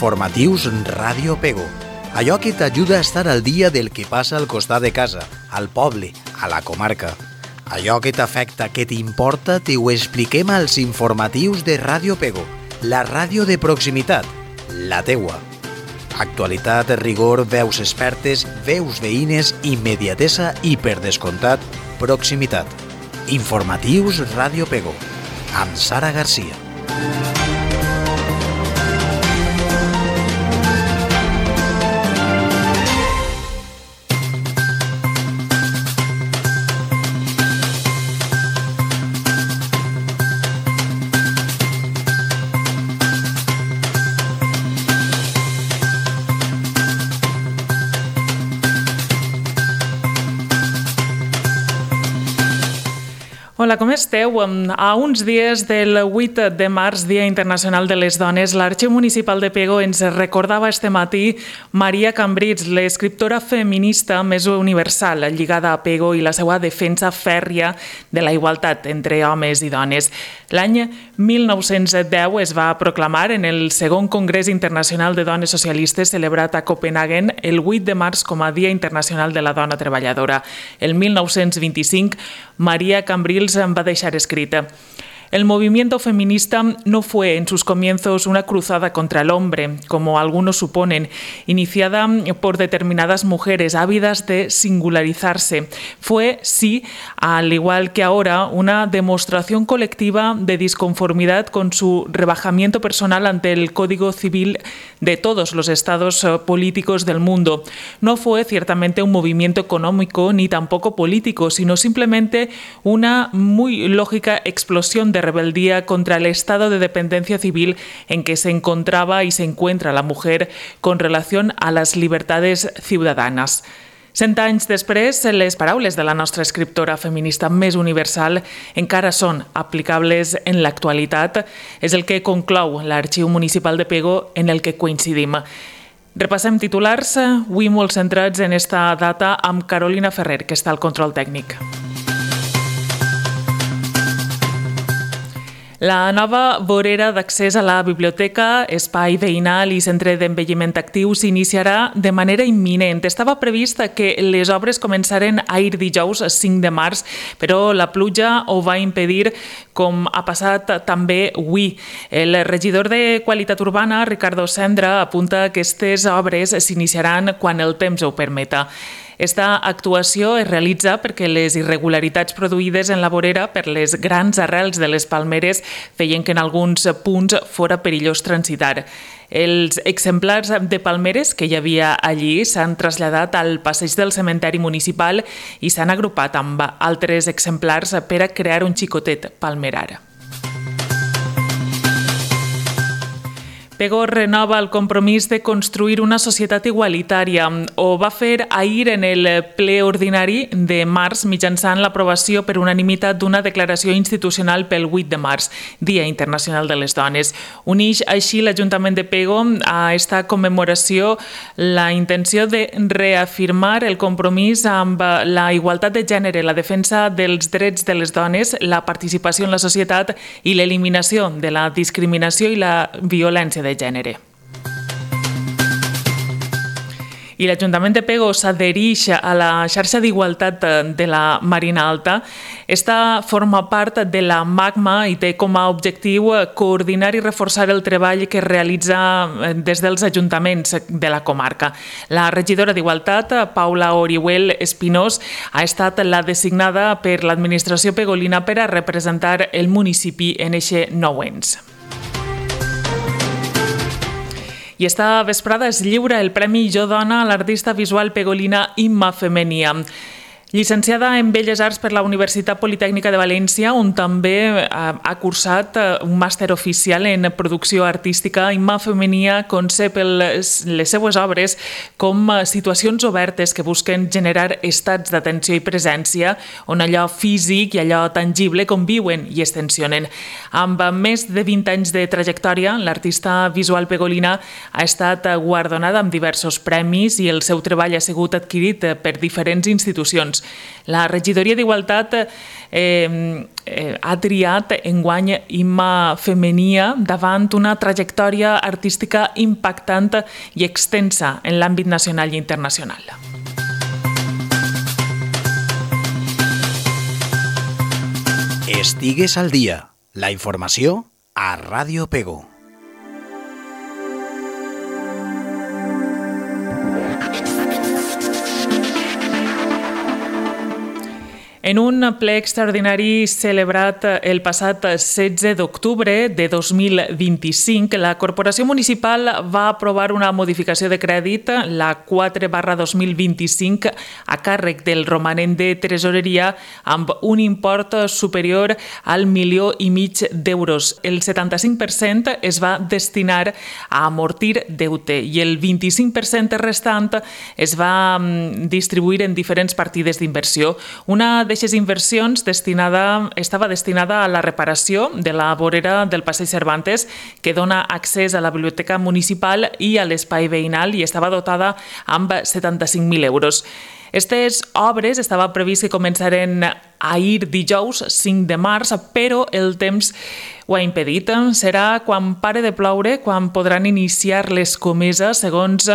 Informatius Ràdio Pego. Allò que t'ajuda a estar al dia del que passa al costat de casa, al poble, a la comarca. Allò que t'afecta, que t'importa, t'ho expliquem als informatius de Ràdio Pego, la ràdio de proximitat, la teua. Actualitat, rigor, veus expertes, veus veïnes, immediatesa i, per descomptat, proximitat. Informatius Ràdio Pego, amb Sara Garcia. Hola, com esteu? A uns dies del 8 de març, Dia Internacional de les Dones, l'Arxiu Municipal de Pego ens recordava este matí Maria Cambrils, l'escriptora feminista més universal, lligada a Pego i la seva defensa fèrria de la igualtat entre homes i dones. L'any 1910 es va proclamar en el segon Congrés Internacional de Dones Socialistes celebrat a Copenhagen el 8 de març com a Dia Internacional de la Dona Treballadora. El 1925, Maria Cambrils va deixar escrita: el movimiento feminista no fue en sus comienzos una cruzada contra el hombre, como algunos suponen, iniciada por determinadas mujeres ávidas de singularizarse. Fue, sí, al igual que ahora, una demostración colectiva de disconformidad con su rebajamiento personal ante el Código Civil de todos los estados políticos del mundo. No fue ciertamente un movimiento económico ni tampoco político, sino simplemente una muy lógica explosión de rebeldía contra el estado de dependencia civil en que se encontraba y se encuentra la mujer con relación a las libertades ciudadanas. 100 anys després, les paraules de la nostra escriptora feminista més universal encara són aplicables en l'actualitat. És el que conclou l'Arxiu Municipal de Pego, en el que coincidim. Repassem titulars, avui molt centrats en esta data, amb Carolina Ferrer, que està al control tècnic. La nova vorera d'accés a la biblioteca, espai veïnal i centre d'envelliment actiu s'iniciarà de manera imminent. Estava previst que les obres començaren ahir dijous 5 de març, però la pluja ho va impedir, com ha passat també avui. El regidor de Qualitat Urbana, Ricardo Sendra, apunta que aquestes obres s'iniciaran quan el temps ho permeta. Esta actuació es realitza perquè les irregularitats produïdes en la vorera per les grans arrels de les palmeres feien que en alguns punts fora perillós transitar. Els exemplars de palmeres que hi havia allí s'han traslladat al passeig del cementeri municipal i s'han agrupat amb altres exemplars per a crear un xicotet palmerar. Pego renova el compromís de construir una societat igualitària. Ho va fer ahir en el ple ordinari de març mitjançant l'aprovació per unanimitat d'una declaració institucional pel 8 de març, Dia Internacional de les Dones. Unix així l'Ajuntament de Pego a esta commemoració la intenció de reafirmar el compromís amb la igualtat de gènere, la defensa dels drets de les dones, la participació en la societat i l'eliminació de la discriminació i la violència de gènere. I l'Ajuntament de Pego s'adhereix a la xarxa d'igualtat de la Marina Alta. Esta forma part de la MACMA i té com a objectiu coordinar i reforçar el treball que es realitza des dels ajuntaments de la comarca. La regidora d'Igualtat, Paula Orihuel Espinós, ha estat la designada per l'administració pegolina per a representar el municipi en eixe nou ens. I esta vesprada es lliura el Premi Jo Dona a l'artista visual pegolina Imma Femenia. Llicenciada en Belles Arts per la Universitat Politècnica de València, on també ha cursat un màster oficial en producció artística, Imma Femenia concep les seues obres com situacions obertes que busquen generar estats d'atenció i presència on allò físic i allò tangible conviuen i es tensionen. Amb més de 20 anys de trajectòria, l'artista visual pegolina ha estat guardonada amb diversos premis i el seu treball ha sigut adquirit per diferents institucions. euros. La regidoria d'Igualtat ha triat enguany Imma Femenia davant una trajectòria artística impactant i extensa en l'àmbit nacional i internacional. Estigues al dia. La informació a Ràdio Pego. En un ple extraordinari celebrat el passat 16 d'octubre de 2025, la Corporació Municipal va aprovar una modificació de crèdit, la 4/2025, a càrrec del romanent de tresoreria amb un import superior al 1,5 milió d'euros. El 75% es va destinar a amortir deute i el 25% restant es va distribuir en diferents partides d'inversió. Una d'aquestes inversions estava destinada a la reparació de la vorera del Passeig Cervantes, que dona accés a la biblioteca municipal i a l'espai veïnal, i estava dotada amb 75.000 euros. Aquestes obres estava previst que començaren ahir dijous 5 de març, però el temps ho ha impedit. Serà quan pare de ploure quan podran iniciar les comeses, segons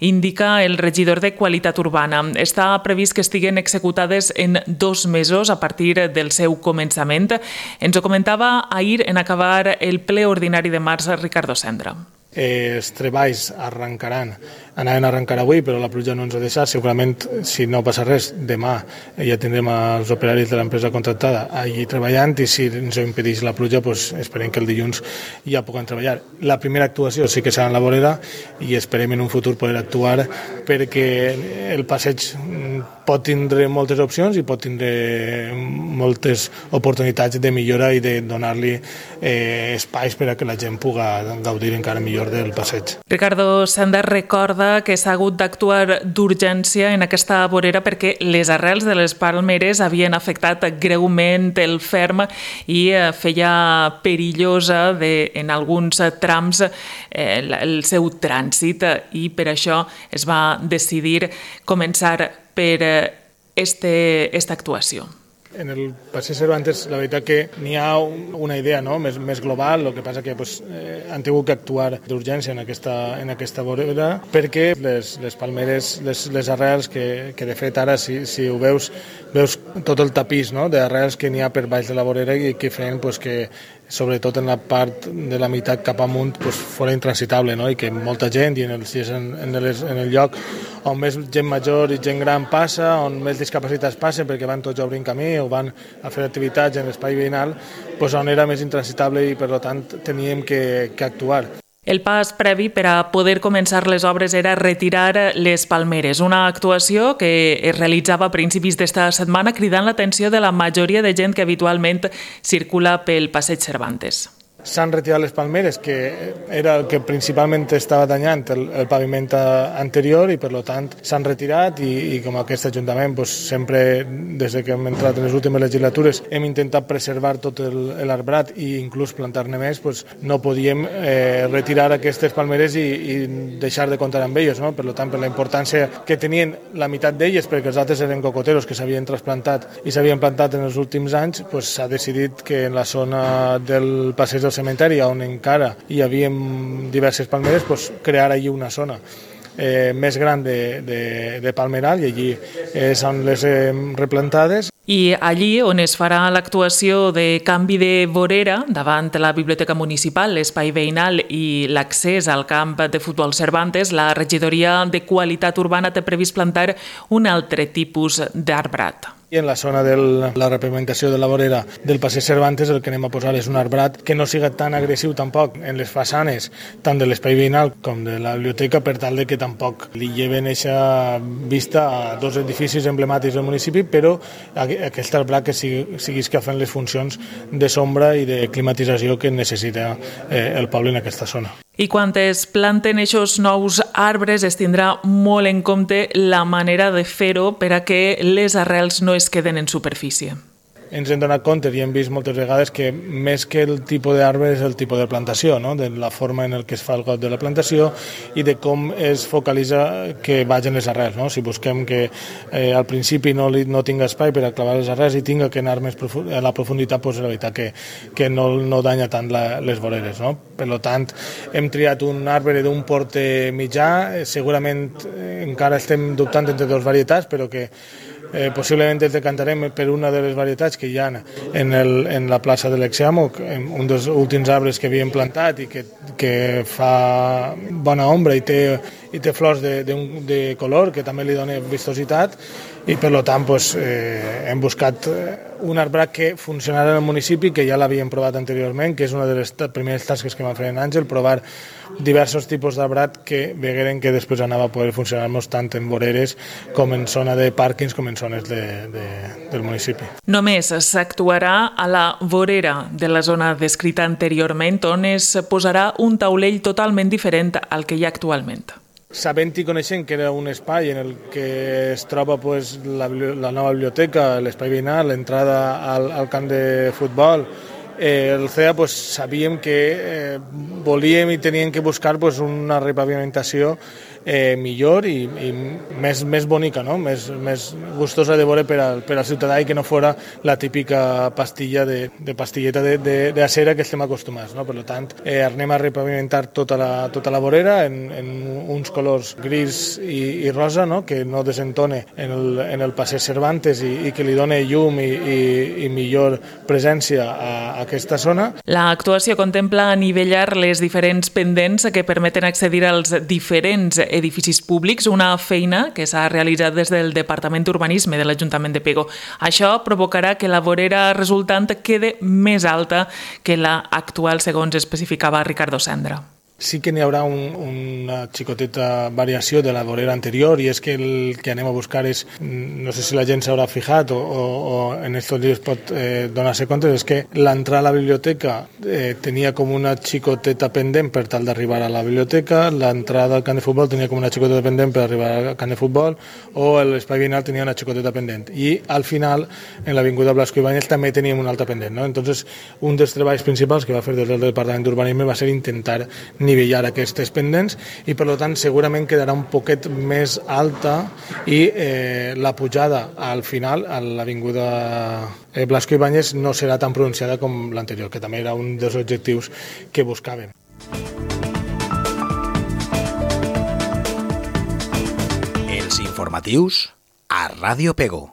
indica el regidor de Qualitat Urbana. Està previst que estiguen executades en 2 mesos a partir del seu començament. Ens ho comentava ahir en acabar el ple ordinari de març Ricardo Sendra. Els treballs anaven a arrencar avui, però la pluja no ens ha deixat. Segurament, si no passa res, demà ja tindrem els operaris de l'empresa contractada allí treballant, i si ens ho impedeix la pluja, doncs esperem que el dilluns ja puguem treballar. La primera actuació sí que serà en la vorera, i esperem en un futur poder actuar, perquè el passeig pot tindre moltes opcions i pot tindre moltes oportunitats de millora i de donar-li espais per a que la gent pugui gaudir encara millor del passeig. Ricardo Sendra recorda que s'ha hagut d'actuar d'urgència en aquesta vorera perquè les arrels de les palmeres havien afectat greument el ferm i feia perillosa en alguns trams el seu trànsit, i per això es va decidir començar per aquesta actuació. En el Passeig Cervantes, la veritat que n'hi ha una idea més global, el que passa que han tingut que actuar d'urgència en aquesta vorera, perquè les palmeres, les arrels, que de fet ara si ho veus tot el tapís d'arrels que n'hi ha per baix de la vorera i que feien que sobretot en la part de la meitat cap amunt fora intransitable, i que molta gent, i en el lloc on més gent major i gent gran passa, on més discapacitats passen perquè van tots obrint camí o van a fer activitats en l'espai veïnal, on era més intransitable i per tant teníem que actuar. El pas previ per a poder començar les obres era retirar les palmeres, una actuació que es realitzava a principis d'esta setmana, cridant l'atenció de la majoria de gent que habitualment circula pel Passeig Cervantes. S'han retirat les palmeres, que era el que principalment estava danyant el paviment anterior, i per tant s'han retirat, i com aquest Ajuntament sempre, des que hem entrat en les últimes legislatures, hem intentat preservar tot l'arbrat i inclús plantar-ne més, no podíem retirar aquestes palmeres i deixar de comptar amb elles. Per tant, per la importància que tenien la meitat d'elles, perquè els altres eren cocoteros que s'havien trasplantat i s'havien plantat en els últims anys, s'ha decidit que en la zona del passeig del cementeri, on encara hi havia diverses palmeres, crear allí una zona més gran de palmeral, i allí són les replantades. I allí on es farà l'actuació de canvi de vorera davant la Biblioteca Municipal, l'espai veïnal i l'accés al camp de futbol Cervantes, la regidoria de Qualitat Urbana té previst plantar un altre tipus d'arbrat. I en la zona de la repavimentació de la vorera del Passeig Cervantes el que anem a posar és un arbrat que no siga tan agressiu tampoc en les façanes, tant de l'espai veïnal com de la biblioteca, per tal de que tampoc li lleven aquesta vista a dos edificis emblemàtics del municipi, però aquest arbrat que siguis que fent les funcions de sombra i de climatització que necessita el poble en aquesta zona. I quan es planten aquests nous arbres es tindrà molt en compte la manera de fer-ho per a que les arrels no es queden en superfície. ens hem donat compte i hem vist moltes vegades que més que el tipus d'arbre és el tipus de plantació, no? De la forma en què es fa el got de la plantació i de com es focalitza que vagin les arrels. No? Si busquem que al principi no tinga espai per a clavar les arrels i tinga que anar més a la profunditat, doncs la veritat que no danya tant les voreres. No? Per tant, hem triat un arbre d'un porte mitjà, segurament encara estem dubtant entre dues varietats, però que possiblement ens decantarem per una de les varietats que hi ha en la plaça de l'Exeamo, un dels últims arbres que havíem plantat i que fa bona ombra i té flors de color que també li dona vistositat i per tant hem buscat un arbrat que funcionarà en el municipi, que ja l'havíem provat anteriorment, que és una de les primeres tasques que va fer en Àngel, provar diversos tipus d'arbrat que vegueren que després anava a poder funcionar-nos tant en voreres com en zona de pàrquings com en zones del municipi. Només s'actuarà a la vorera de la zona descrita anteriorment, on es posarà un taulell totalment diferent al que hi ha actualment. Sabent i coneixent que era un espai en el que es troba la nova biblioteca, l'espai veïnal, l'entrada al camp de futbol, el CEA sabíem que volíem i teníem que buscar una repavimentació millor i més bonica, no? més gustosa de veure per al ciutadà i que no fora la típica pastilleta d'acera que estem acostumats. No? Per tant, anem a repavimentar tota la vorera en uns colors gris i rosa, no? Que no desentone en el passeig Cervantes i que li doni llum i millor presència a aquesta zona. L'actuació contempla anivellar les diferents pendents que permeten accedir als diferents edificis públics, una feina que s'ha realitzat des del Departament d'Urbanisme de l'Ajuntament de Pego. Això provocarà que la vorera resultant quede més alta que la actual, segons especificava Ricardo Sendra. Sí que n'hi haurà una xicoteta variació de la vorera anterior i és que el que anem a buscar és, no sé si la gent s'haurà fijat o en estos dies pot donar-se compte, és que l'entrada a la biblioteca tenia com una xicoteta pendent per tal d'arribar a la biblioteca, l'entrada al camp de futbol tenia com una xicoteta pendent per arribar al camp de futbol o l'espai veïnal tenia una xicoteta pendent i al final en l'avinguda Blasco Ibáñez també teníem una altra pendent. No? Entonces, un dels treballs principals que va fer des del Departament d'Urbanisme va ser intentar nivellar aquestes pendents i per tant segurament quedarà un poquet més alta i la pujada al final a l'avinguda Blasco Ibáñez no serà tan pronunciada com l'anterior, que també era un dels objectius que buscàvem. Els informatius a Ràdio Pego.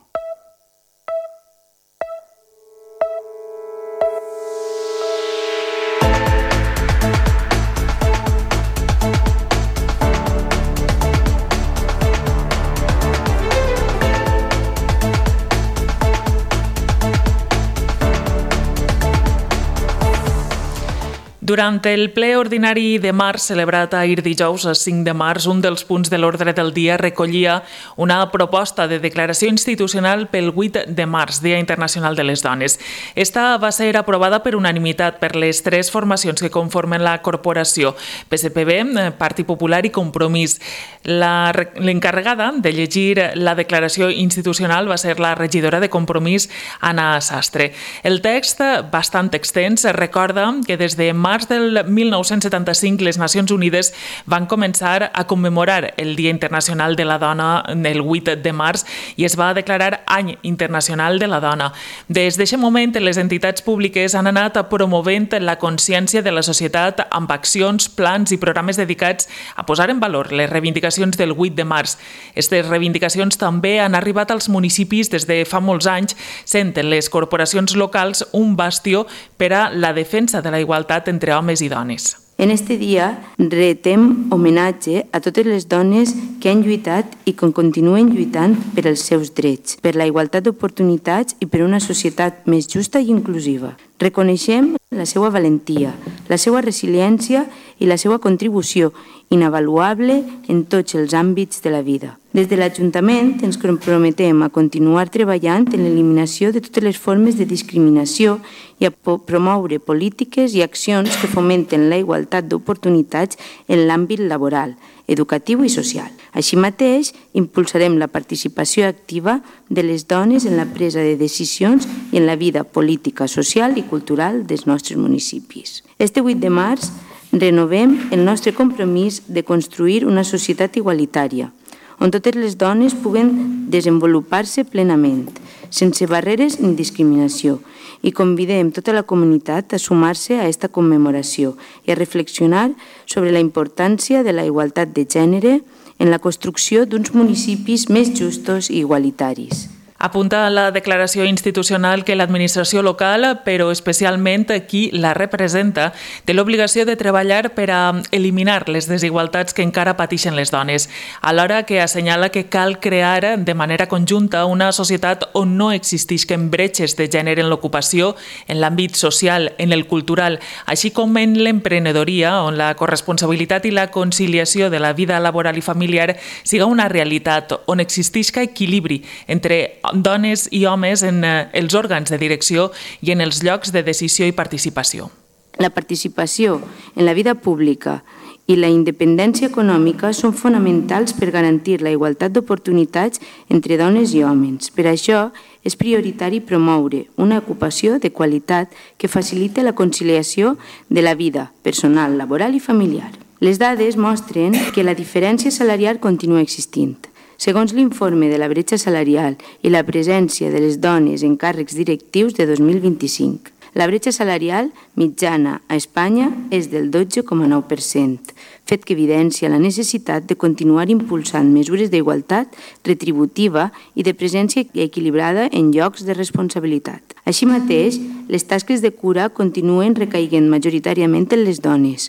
Durant el ple ordinari de març, celebrat ahir dijous, 5 de març, un dels punts de l'ordre del dia recollia una proposta de declaració institucional pel 8 de març, Dia Internacional de les Dones. Esta va ser aprovada per unanimitat per les 3 formacions que conformen la corporació, PSPB, Partit Popular i Compromís. L'encarregada de llegir la declaració institucional va ser la regidora de Compromís, Anna Sastre. El text, bastant extens, recorda que des de març del 1975 les Nacions Unides van començar a commemorar el Dia Internacional de la Dona el 8 de març i es va declarar Any Internacional de la Dona. Des d'aquest moment, les entitats públiques han anat promovent la consciència de la societat amb accions, plans i programes dedicats a posar en valor les reivindicacions del 8 de març. Aquestes reivindicacions també han arribat als municipis des de fa molts anys, sent les corporacions locals un bastió per a la defensa de la igualtat entre homes i dones. En este dia retem homenatge a totes les dones que han lluitat i que continuen lluitant per als seus drets, per la igualtat d'oportunitats i per una societat més justa i inclusiva. Reconeixem la seva valentia, la seva resiliència i la seva contribució inavaluable en tots els àmbits de la vida. Des de l'Ajuntament ens comprometem a continuar treballant en l'eliminació de totes les formes de discriminació i a promoure polítiques i accions que fomenten la igualtat d'oportunitats en l'àmbit laboral, educatiu i social. Així mateix, impulsarem la participació activa de les dones en la presa de decisions i en la vida política, social i cultural dels nostres municipis. Este 8 de març renovem el nostre compromís de construir una societat igualitària, on totes les dones puguen desenvolupar-se plenament, sense barreres ni discriminació, i convidem tota la comunitat a sumar-se a aquesta commemoració i a reflexionar sobre la importància de la igualtat de gènere en la construcció d'uns municipis més justos i igualitaris. Apunta a la declaració institucional que l'administració local, però especialment qui la representa, té l'obligació de treballar per a eliminar les desigualtats que encara pateixen les dones, alhora que assenyala que cal crear de manera conjunta una societat on no existisquen bretxes de gènere en l'ocupació, en l'àmbit social, en el cultural, així com en l'emprenedoria, on la corresponsabilitat i la conciliació de la vida laboral i familiar siga una realitat, on existisca equilibri entre dones i homes en els òrgans de direcció i en els llocs de decisió i participació. La participació en la vida pública i la independència econòmica són fonamentals per garantir la igualtat d'oportunitats entre dones i homes. Per això, és prioritari promoure una ocupació de qualitat que facilite la conciliació de la vida personal, laboral i familiar. Les dades mostren que la diferència salarial continua existint. Segons l'informe de la bretxa salarial i la presència de les dones en càrrecs directius de 2025, la bretxa salarial mitjana a Espanya és del 12,9%, fet que evidencia la necessitat de continuar impulsant mesures d'igualtat retributiva i de presència equilibrada en llocs de responsabilitat. Així mateix, les tasques de cura continuen recaiguent majoritàriament en les dones,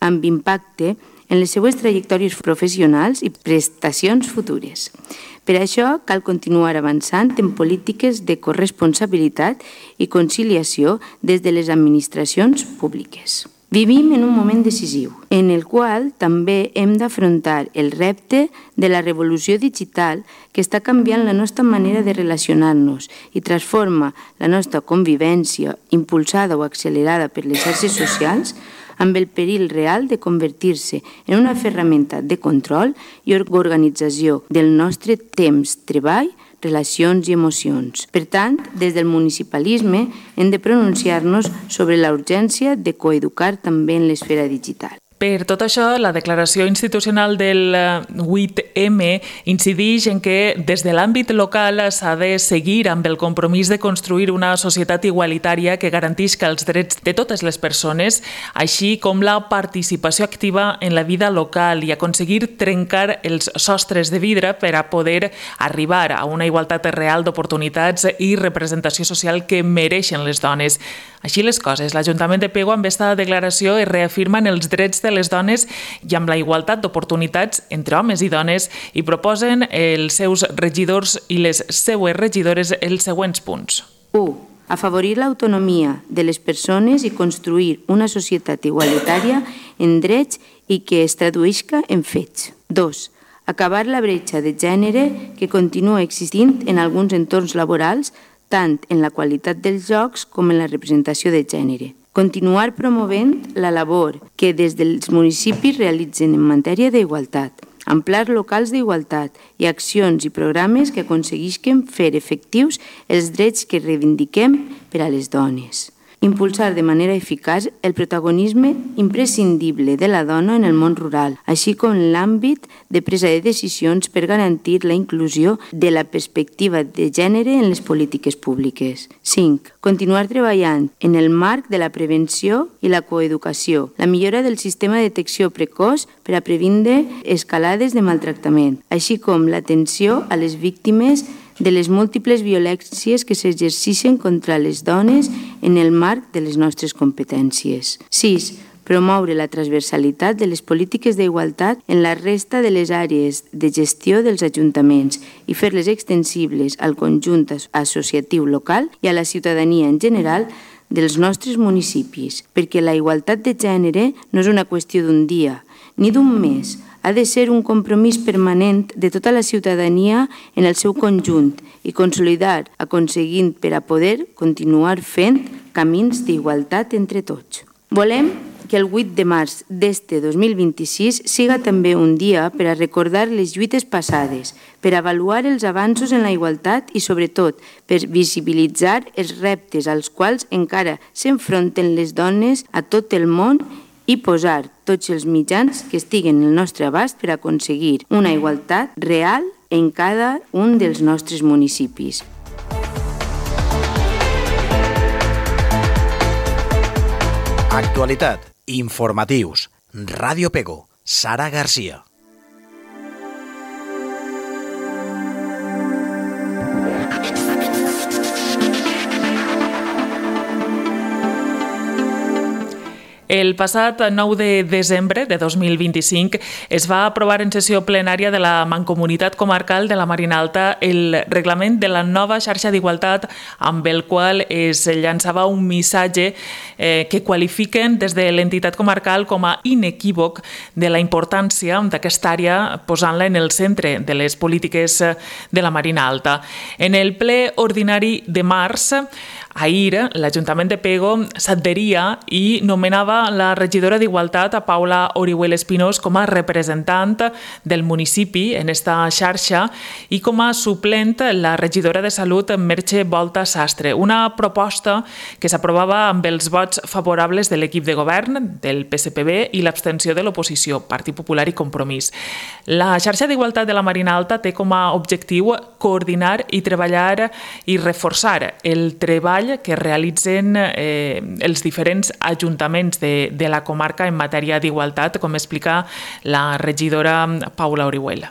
amb impacte en les seues trajectòries professionals i prestacions futures. Per això, cal continuar avançant en polítiques de corresponsabilitat i conciliació des de les administracions públiques. Vivim en un moment decisiu, en el qual també hem d'afrontar el repte de la revolució digital que està canviant la nostra manera de relacionar-nos i transforma la nostra convivència, impulsada o accelerada per les xarxes socials, amb el perill real de convertir-se en una ferramenta de control i organització del nostre temps, treball, relacions i emocions. Per tant, des del municipalisme hem de pronunciar-nos sobre la urgència de coeducar també en l'esfera digital. Per tot això, la declaració institucional del 8M incideix en que des de l'àmbit local s'ha de seguir amb el compromís de construir una societat igualitària que garantisca els drets de totes les persones, així com la participació activa en la vida local i aconseguir trencar els sostres de vidre per a poder arribar a una igualtat real d'oportunitats i representació social que mereixen les dones. Així les coses, l'Ajuntament de Pego amb aquesta declaració es reafirmen els drets de les dones i amb la igualtat d'oportunitats entre homes i dones i proposen els seus regidors i les seues regidores els següents punts. 1. Afavorir l'autonomia de les persones i construir una societat igualitària en drets i que es traduïsca en fets. 2. Acabar la bretxa de gènere que continua existint en alguns entorns laborals, tant en la qualitat dels llocs com en la representació de gènere. Continuar promovent la labor que des dels municipis realitzen en matèria d'igualtat, amb plans locals d'igualtat i accions i programes que aconseguisquen fer efectius els drets que reivindiquem per a les dones. Impulsar de manera eficaç el protagonisme imprescindible de la dona en el món rural, així com l'àmbit de presa de decisions per garantir la inclusió de la perspectiva de gènere en les polítiques públiques. 5. Continuar treballant en el marc de la prevenció i la coeducació, la millora del sistema de detecció precoç per a previndre escalades de maltractament, així com l'atenció a les víctimes de les múltiples violències que s'exerceixen contra les dones en el marc de les nostres competències. 6. Promoure la transversalitat de les polítiques d'igualtat en la resta de les àrees de gestió dels ajuntaments i fer-les extensibles al conjunt associatiu local i a la ciutadania en general dels nostres municipis, perquè la igualtat de gènere no és una qüestió d'un dia ni d'un mes, ha de ser un compromís permanent de tota la ciutadania en el seu conjunt i consolidar, aconseguint per a poder continuar fent camins d'igualtat entre tots. Volem que el 8 de març d'este 2026 siga també un dia per a recordar les lluites passades, per avaluar els avanços en la igualtat i, sobretot, per visibilitzar els reptes als quals encara s'enfronten les dones a tot el món i posar tots els mitjans que estiguen al nostre abast per aconseguir una igualtat real en cada un dels nostres municipis. Actualitat, informatius, Ràdio Pego, Sara Garcia. El passat 9 de desembre de 2025 es va aprovar en sessió plenària de la Mancomunitat Comarcal de la Marina Alta el reglament de la nova xarxa d'igualtat amb el qual es llançava un missatge que qualifiquen des de l'entitat comarcal com a inequívoc de la importància d'aquesta àrea posant-la en el centre de les polítiques de la Marina Alta. En el ple ordinari de març, ahir, l'Ajuntament de Pego s'adheria i nomenava la regidora d'Igualtat, a Paula Orihuel Espinós, com a representant del municipi en esta xarxa i com a suplent la regidora de Salut, Merche Volta Sastre. Una proposta que s'aprovava amb els vots favorables de l'equip de govern, del PSPB i l'abstenció de l'oposició, Partit Popular i Compromís. La xarxa d'Igualtat de la Marina Alta té com a objectiu coordinar i treballar i reforçar el treball que realitzen els diferents ajuntaments de la comarca en matèria d'igualtat, com explica la regidora Paula Orihuel.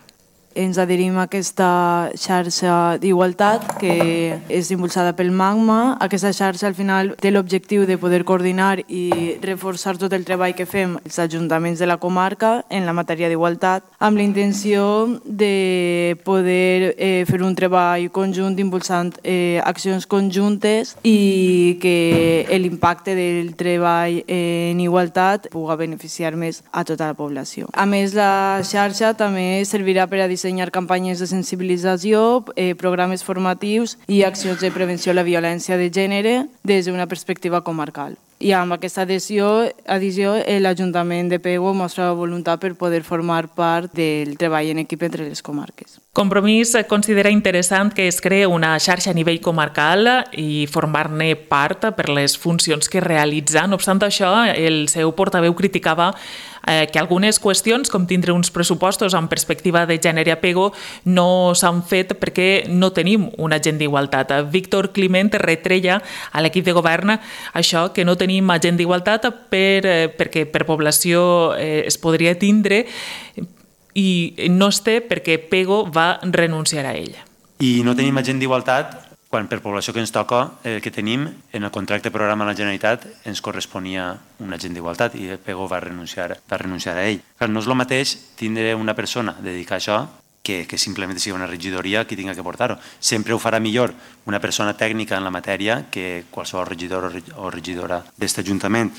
Ens adherim a aquesta xarxa d'igualtat que és impulsada pel MAGMA. Aquesta xarxa al final té l'objectiu de poder coordinar i reforçar tot el treball que fem els ajuntaments de la comarca en la matèria d'igualtat amb la intenció de poder fer un treball conjunt impulsant accions conjuntes i que l'impacte del treball en igualtat pugui beneficiar més a tota la població. A més, la xarxa també servirà per a dissenyar campanyes de sensibilització, programes formatius i accions de prevenció de la violència de gènere des d'una perspectiva comarcal. I amb aquesta addició, l'Ajuntament de Pego mostra voluntat per poder formar part del treball en equip entre les comarques. Compromís considera interessant que es creï una xarxa a nivell comarcal i formar-ne part per les funcions que realitza. No obstant això, el seu portaveu criticava que algunes qüestions, com tindre uns pressupostos amb perspectiva de gènere a Pego, no s'han fet perquè no tenim un agent d'igualtat. Víctor Climent retreia a l'equip de govern això, que no tenim agent d'igualtat perquè per població es podria tindre i no es té perquè Pego va renunciar a ell. I no tenim agent d'igualtat quan per població que ens toca, que tenim, en el contracte programa de la Generalitat ens corresponia un agent d'igualtat i Pego va renunciar a ell. No és el mateix tindre una persona dedicada a això que simplement sigui una regidoria qui tinga que portar-ho. Sempre ho farà millor una persona tècnica en la matèria que qualsevol regidor o regidora d'aquest Ajuntament.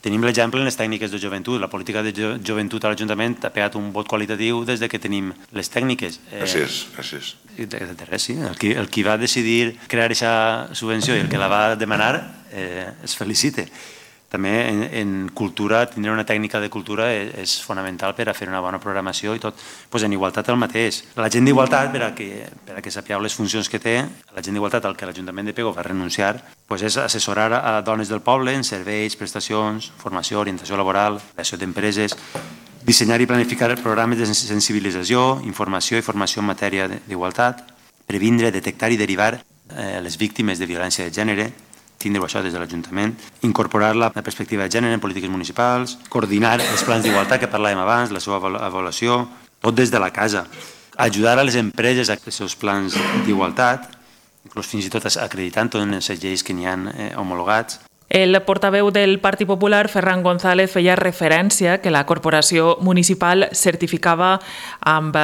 Tenim l'exemple en les tècniques de joventut. La política de joventut a l'Ajuntament ha pegat un vot qualitatiu des que tenim les tècniques. Gràcies. De res, sí. El qui va decidir crear aquesta subvenció i el que la va demanar es felicita. També en cultura, tindre una tècnica de cultura és fonamental per a fer una bona programació i tot. En igualtat el mateix. La gent d'igualtat, per a que sapigueu les funcions que té, la gent d'igualtat al que l'Ajuntament de Pego va renunciar, és assessorar a dones del poble en serveis, prestacions, formació, orientació laboral, creació d'empreses, dissenyar i planificar programes de sensibilització, informació i formació en matèria d'igualtat, previndre, detectar i derivar les víctimes de violència de gènere, tindre-ho això des de l'Ajuntament, incorporar la perspectiva de gènere en polítiques municipals, coordinar els plans d'igualtat que parlàvem abans, la seva avaluació, tot des de la casa, ajudar a les empreses a els seus plans d'igualtat, inclús fins i tot acreditant totes les lleis que n'hi ha homologats. El portaveu del Partit Popular, Ferran González, feia referència que la corporació municipal certificava amb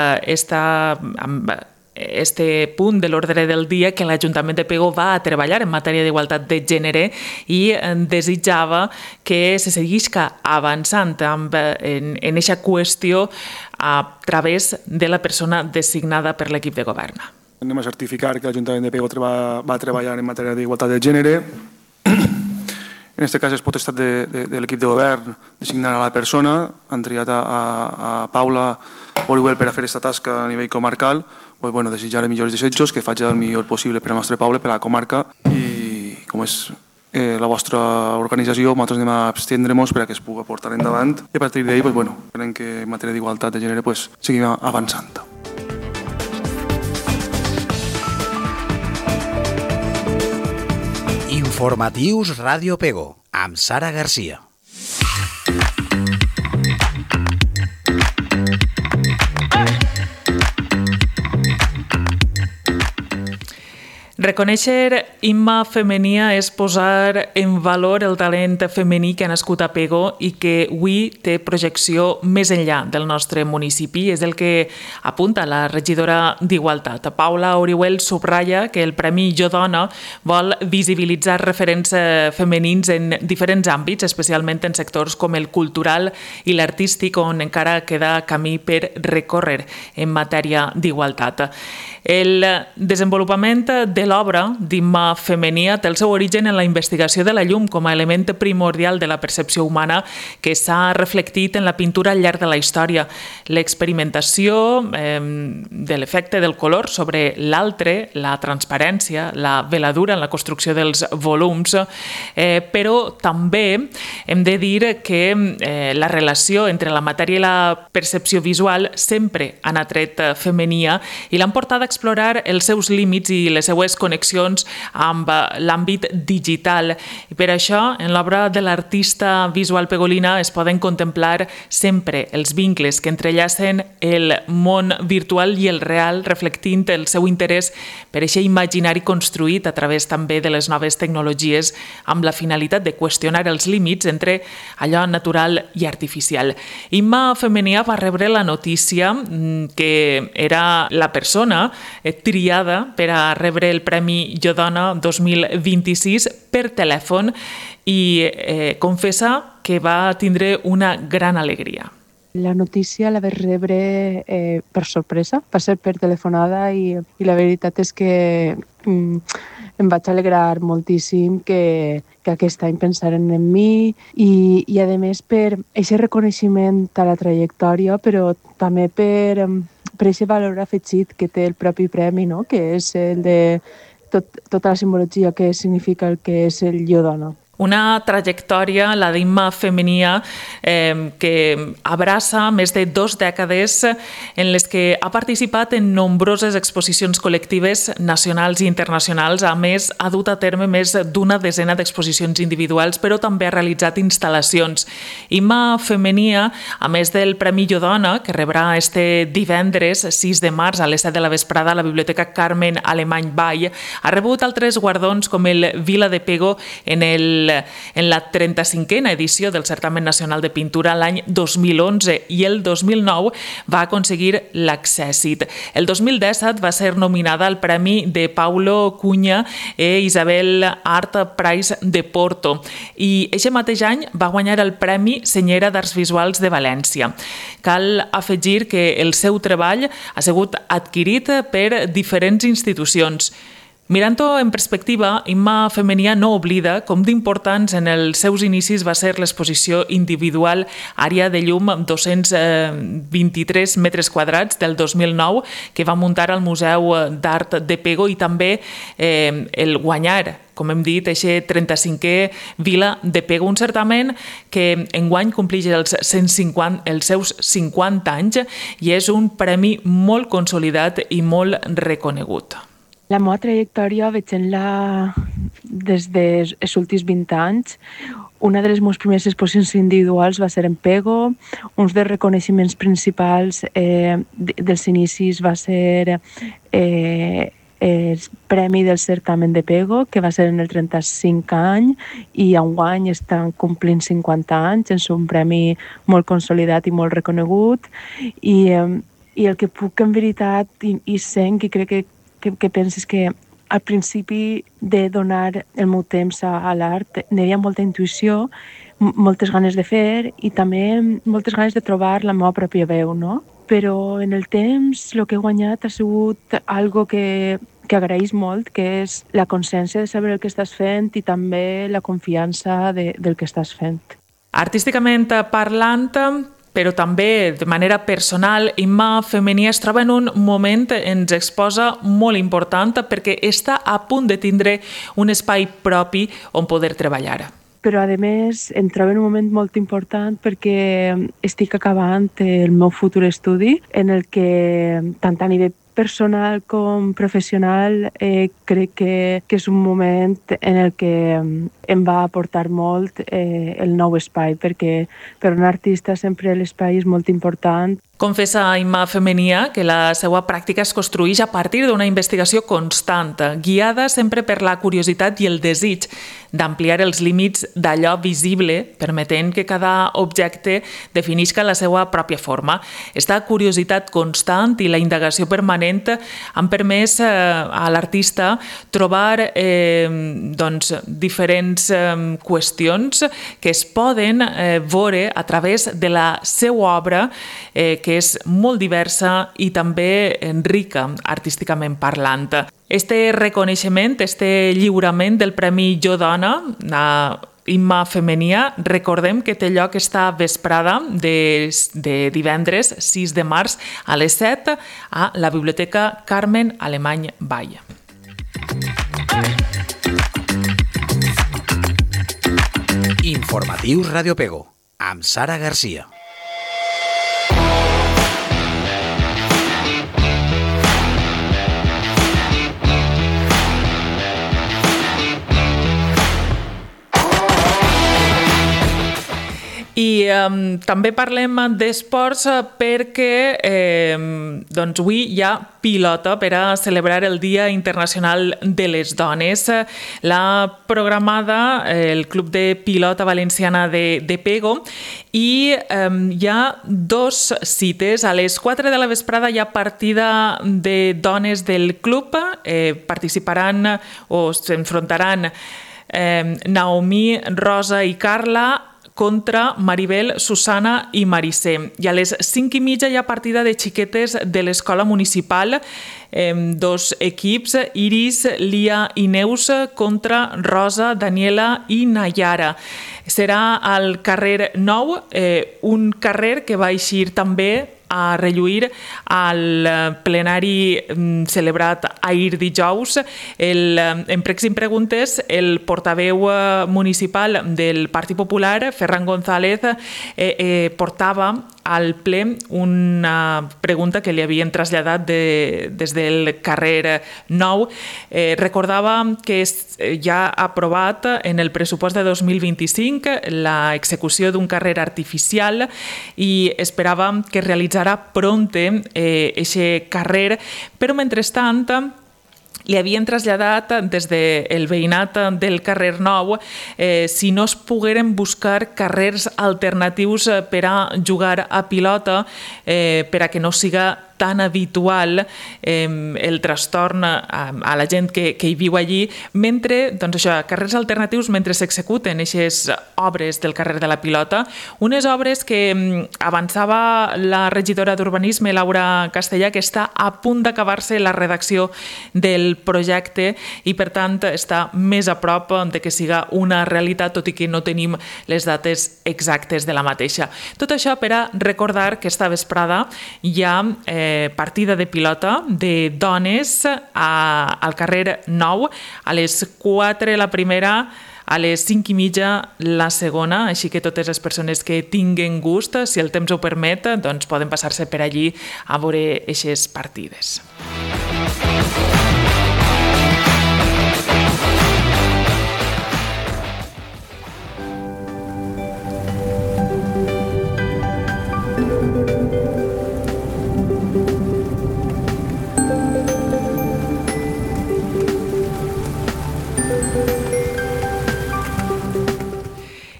este punt de l'ordre del dia que l'Ajuntament de Pego va a treballar en matèria d'igualtat de gènere i desitjava que se seguisca avançant en aquesta qüestió a través de la persona designada per l'equip de govern. Anem a certificar que l'Ajuntament de Pego va treballar en matèria d'igualtat de gènere. En aquest cas és potestat de l'equip de govern designar a la persona. Han triat a Paula Orihuel per a fer aquesta tasca a nivell comarcal. Desitjar els millors desitjos, que faci el millor possible per a la nostra Paula, per a la comarca, i com és la vostra organització, nosaltres anem a abstindre-nos perquè es pugui portar endavant i a partir d'ahir esperem que en matèria d'igualtat de gènere seguim avançant. Informatius Ràdio Pego, amb Sara Garcia. Reconèixer Imma Femenia és posar en valor el talent femení que ha nascut a Pego i que avui té projecció més enllà del nostre municipi. És el que apunta la regidora d'Igualtat. Paula Orihuel subratlla que el Premi Jo Dona vol visibilitzar referents femenins en diferents àmbits, especialment en sectors com el cultural i l'artístic, on encara queda camí per recórrer en matèria d'igualtat. El desenvolupament de l'obra d'Imma Femenia té el seu origen en la investigació de la llum com a element primordial de la percepció humana que s'ha reflectit en la pintura al llarg de la història. L'experimentació de l'efecte del color sobre l'altre, la transparència, la veladura en la construcció dels volums, però també hem de dir que la relació entre la matèria i la percepció visual sempre han atret femenia i l'han portat a explorar els seus límits i les seues connexions amb l'àmbit digital. I per això, en l'obra de l'artista visual pegolina es poden contemplar sempre els vincles que entrellacen el món virtual i el real, reflectint el seu interès per aquest imaginari construït a través també de les noves tecnologies amb la finalitat de qüestionar els límits entre allò natural i artificial. Imma Femenia va rebre la notícia que era la persona triada per a rebre el Premi Jo Dona 2026 per telèfon i confessa que va tindre una gran alegria. La notícia la vaig rebre per sorpresa, va ser per telefonada i la veritat és que em vaig alegrar moltíssim que aquest any pensaren en mi i a més per aquest reconeixement a la trajectòria, però també per aquest valor afegit que té el propi premi, no? Que és el de tota la simbologia que significa el que és el Jo Dona. Una trajectòria, la d'Imma Femenia, que abraça més de 2 dècades en les que ha participat en nombroses exposicions col·lectives nacionals i internacionals. A més, ha dut a terme més d'una desena d'exposicions individuals, però també ha realitzat instal·lacions. Imma Femenia, a més del Premi Jo Dona, que rebrà este divendres 6 de març a les 7 de la vesprada a la Biblioteca Carmen Alemany Vall, ha rebut altres guardons com el Vila de Pego en la 35a edició del Certamen Nacional de Pintura l'any 2011 i el 2009 va aconseguir l'accèssit. El 2017 va ser nominada al Premi de Paulo Cunha e Isabel Art Prize de Porto i aquest mateix any va guanyar el Premi Senyera d'Arts Visuals de València. Cal afegir que el seu treball ha sigut adquirit per diferents institucions. Mirant-ho en perspectiva, Imma Femenia no oblida com d'importants en els seus inicis va ser l'exposició individual Àrea de llum amb 223 metres quadrats del 2009 que va muntar al Museu d'Art de Pego i també el guanyar, com hem dit, aquest 35è Vila de Pego, un certamen que enguany compleix els seus 50 anys i és un premi molt consolidat i molt reconegut. La meva trajectòria veient-la des dels últims 20 anys. Una de les meves primeres exposicions individuals va ser en Pego. Un dels reconeixements principals dels inicis va ser el Premi del Certamen de Pego, que va ser en el 35 any i enguany estan complint 50 anys. És un premi molt consolidat i molt reconegut i I el que puc en veritat i sent i crec que penses que al principi de donar el meu temps a l'art n'hi havia molta intuïció, moltes ganes de fer i també moltes ganes de trobar la meva pròpia veu, no? Però en el temps el que he guanyat ha sigut algo que agraeix molt, que és la consciència de saber el que estàs fent i també la confiança del que estàs fent. Artísticament parlant, però també de manera personal, Imma Femení es troba en un moment, ens exposa, molt important perquè està a punt de tindre un espai propi on poder treballar. Però, a més, em trobo en un moment molt important perquè estic acabant el meu futur estudi en el que, tant a nivell personal com professional, crec que és un moment en el que em va aportar molt el nou espai, perquè per un artista sempre l'espai és molt important. Confessa Imma Femenia que la seva pràctica es construeix a partir d'una investigació constant, guiada sempre per la curiositat i el desig d'ampliar els límits d'allò visible, permetent que cada objecte definisca la seva pròpia forma. Esta curiositat constant i la indagació permanent han permès a l'artista trobar diferents qüestions que es poden veure a través de la seva obra, que és molt diversa i també rica artísticament parlant. Este reconeixement, este lliurament del Premi Jo Dona a Imma Femenia, recordem que té lloc esta vesprada de divendres 6 de març a les 7 a la Biblioteca Carmen Alemany Vall. Informatius Radio Pego, amb Sara Garcia. I també parlem d'esports perquè avui hi ha pilota per a celebrar el Dia Internacional de les Dones. L'ha programada el Club de Pilota Valenciana de Pego i hi ha 2 cites. A les 4 de la vesprada hi ha partida de dones del club. Participaran o s'enfrontaran Naomi, Rosa i Carla contra Maribel, Susana i Maricé. I a les 5:30 hi ha partida de xiquetes de l'escola municipal, 2 equips, Iris, Lia i Neus contra Rosa, Daniela i Nayara. Serà al carrer 9, un carrer que va eixir també a relluir al plenari celebrat ahir dijous. En Pregs i Preguntes, el portaveu municipal del Partit Popular, Ferran González, portava al ple una pregunta que li havien traslladat des del carrer 9. Recordava que ja ha aprovat en el pressupost de 2025 l'execució d'un carrer artificial i esperava que realitzara pronte aquest carrer, però mentrestant li havien traslladat des del veïnat del carrer 9 si no es pogueren buscar carrers alternatius per a jugar a pilota per a que no siga tan habitual el trastorn a la gent que hi viu allí, mentre, doncs això, carrers alternatius mentre s'executen aquestes obres del carrer de la Pilota, unes obres que avançava la regidora d'Urbanisme, Laura Castellà, que està a punt d'acabar-se la redacció del projecte i, per tant, està més a prop de que siga una realitat, tot i que no tenim les dates exactes de la mateixa. Tot això per a recordar que esta vesprada hi ha partida de pilota de dones al carrer 9, a les 4 la primera, a les 5:30 la segona, així que totes les persones que tinguen gust, si el temps ho permet, doncs poden passar-se per allí a veure aquestes partides.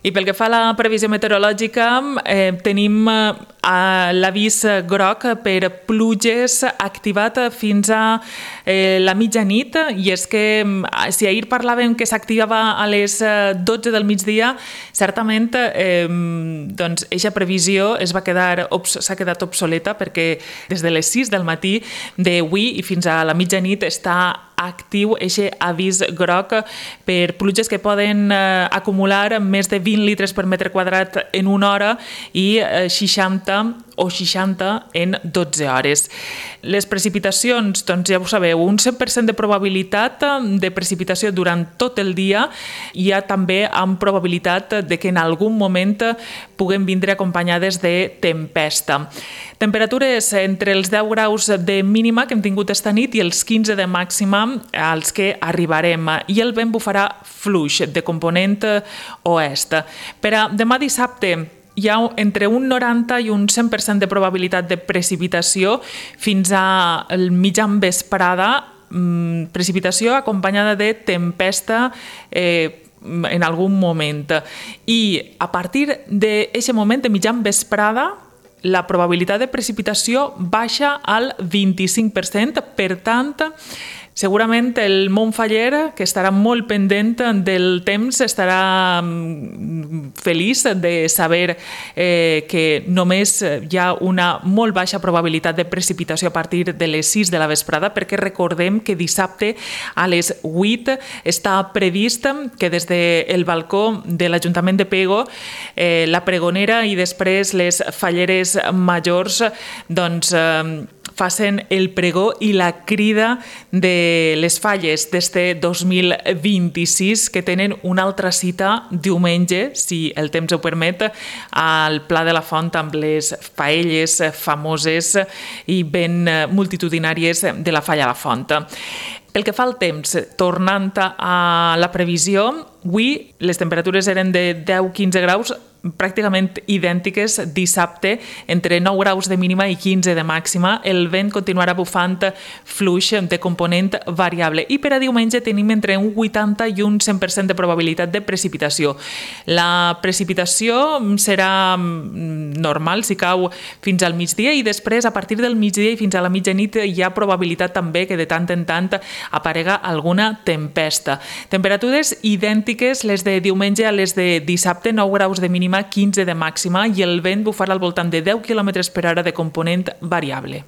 I pel que fa a la previsió meteorològica, tenim l'avís groc per pluges activat fins a la mitjanit, i és que si ahir parlàvem que s'activava a les 12 del migdia, certament eixa previsió s'ha quedat obsoleta, perquè des de les 6 del matí d'avui i fins a la mitjanit està actiu aquest avís groc per pluges que poden acumular més de 20 litres per metre quadrat en una hora i 60 en 12 hores. Les precipitacions, doncs ja ho sabeu, un 100% de probabilitat de precipitació durant tot el dia, i hi ha també amb probabilitat de que en algun moment puguem vindre acompanyades de tempesta. Temperatures entre els 10 graus de mínima que hem tingut esta nit i els 15 de màxima als que arribarem, i el vent bufarà fluix de component oest. Per a demà dissabte hi ha entre un 90 i un 100% de probabilitat de precipitació fins al mitjan vesprada, precipitació acompanyada de tempesta en algun moment. I a partir d'aquest moment de mitjan vesprada, la probabilitat de precipitació baixa al 25%, per tant, segurament el Montfaller, que estarà molt pendent del temps, estarà feliç de saber que només hi ha una molt baixa probabilitat de precipitació a partir de les 6 de la vesprada, perquè recordem que dissabte a les 8 està previst que des del balcó de l'Ajuntament de Pego, la pregonera i després les falleres majors facin el pregó i la crida de les falles d'este 2026, que tenen una altra cita diumenge, si el temps ho permet, al Pla de la Font amb les paelles famoses i ben multitudinàries de la Falla a la Font. Pel que fa al temps, tornant a la previsió, avui les temperatures eren de 10-15 graus, pràcticament idèntiques dissabte, entre 9 graus de mínima i 15 de màxima. El vent continuarà bufant fluix de component variable, i per a diumenge tenim entre un 80 i un 100% de probabilitat de precipitació. La precipitació serà normal si cau fins al migdia, i després a partir del migdia i fins a la mitjanit hi ha probabilitat també que de tant en tant aparega alguna tempesta. Temperatures idèntiques les de diumenge a les de dissabte, 9 graus de mínima, 15 de màxima, i el vent bufarà al voltant de 10 km per hora de component variable.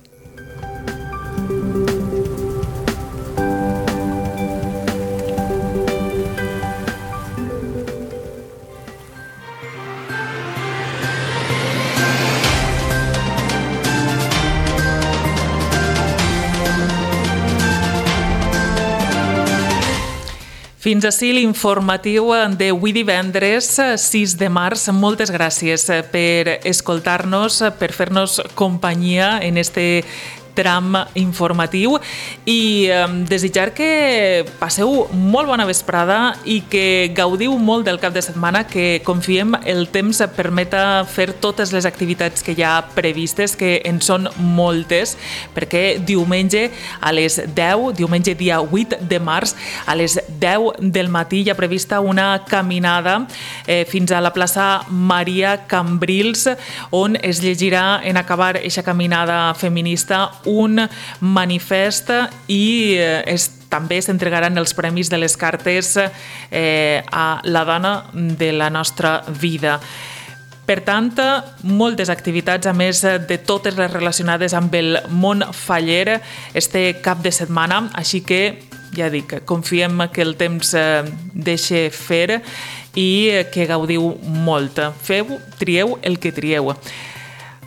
Fins ací l'informatiu d'avui divendres 6 de març. Moltes gràcies per escoltar-nos, per fer-nos companyia en este tram informatiu, i desitjar que passeu molt bona vesprada i que gaudiu molt del cap de setmana, que confiem el temps permeta fer totes les activitats que hi ha previstes, que en són moltes, perquè diumenge a les 10, diumenge dia 8 de març, a les 10 del matí hi ha prevista una caminada fins a la plaça Maria Cambrils, on es llegirà en acabar aquesta caminada feminista un manifest, i també s'entregaran els premis de les cartes a la dona de la nostra vida. Per tant, moltes activitats, a més de totes les relacionades amb el món faller, este cap de setmana, així que, ja dic, confiem que el temps deixa fer i que gaudiu molt. Feu, trieu el que trieu.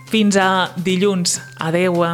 Fins a dilluns. Adeu.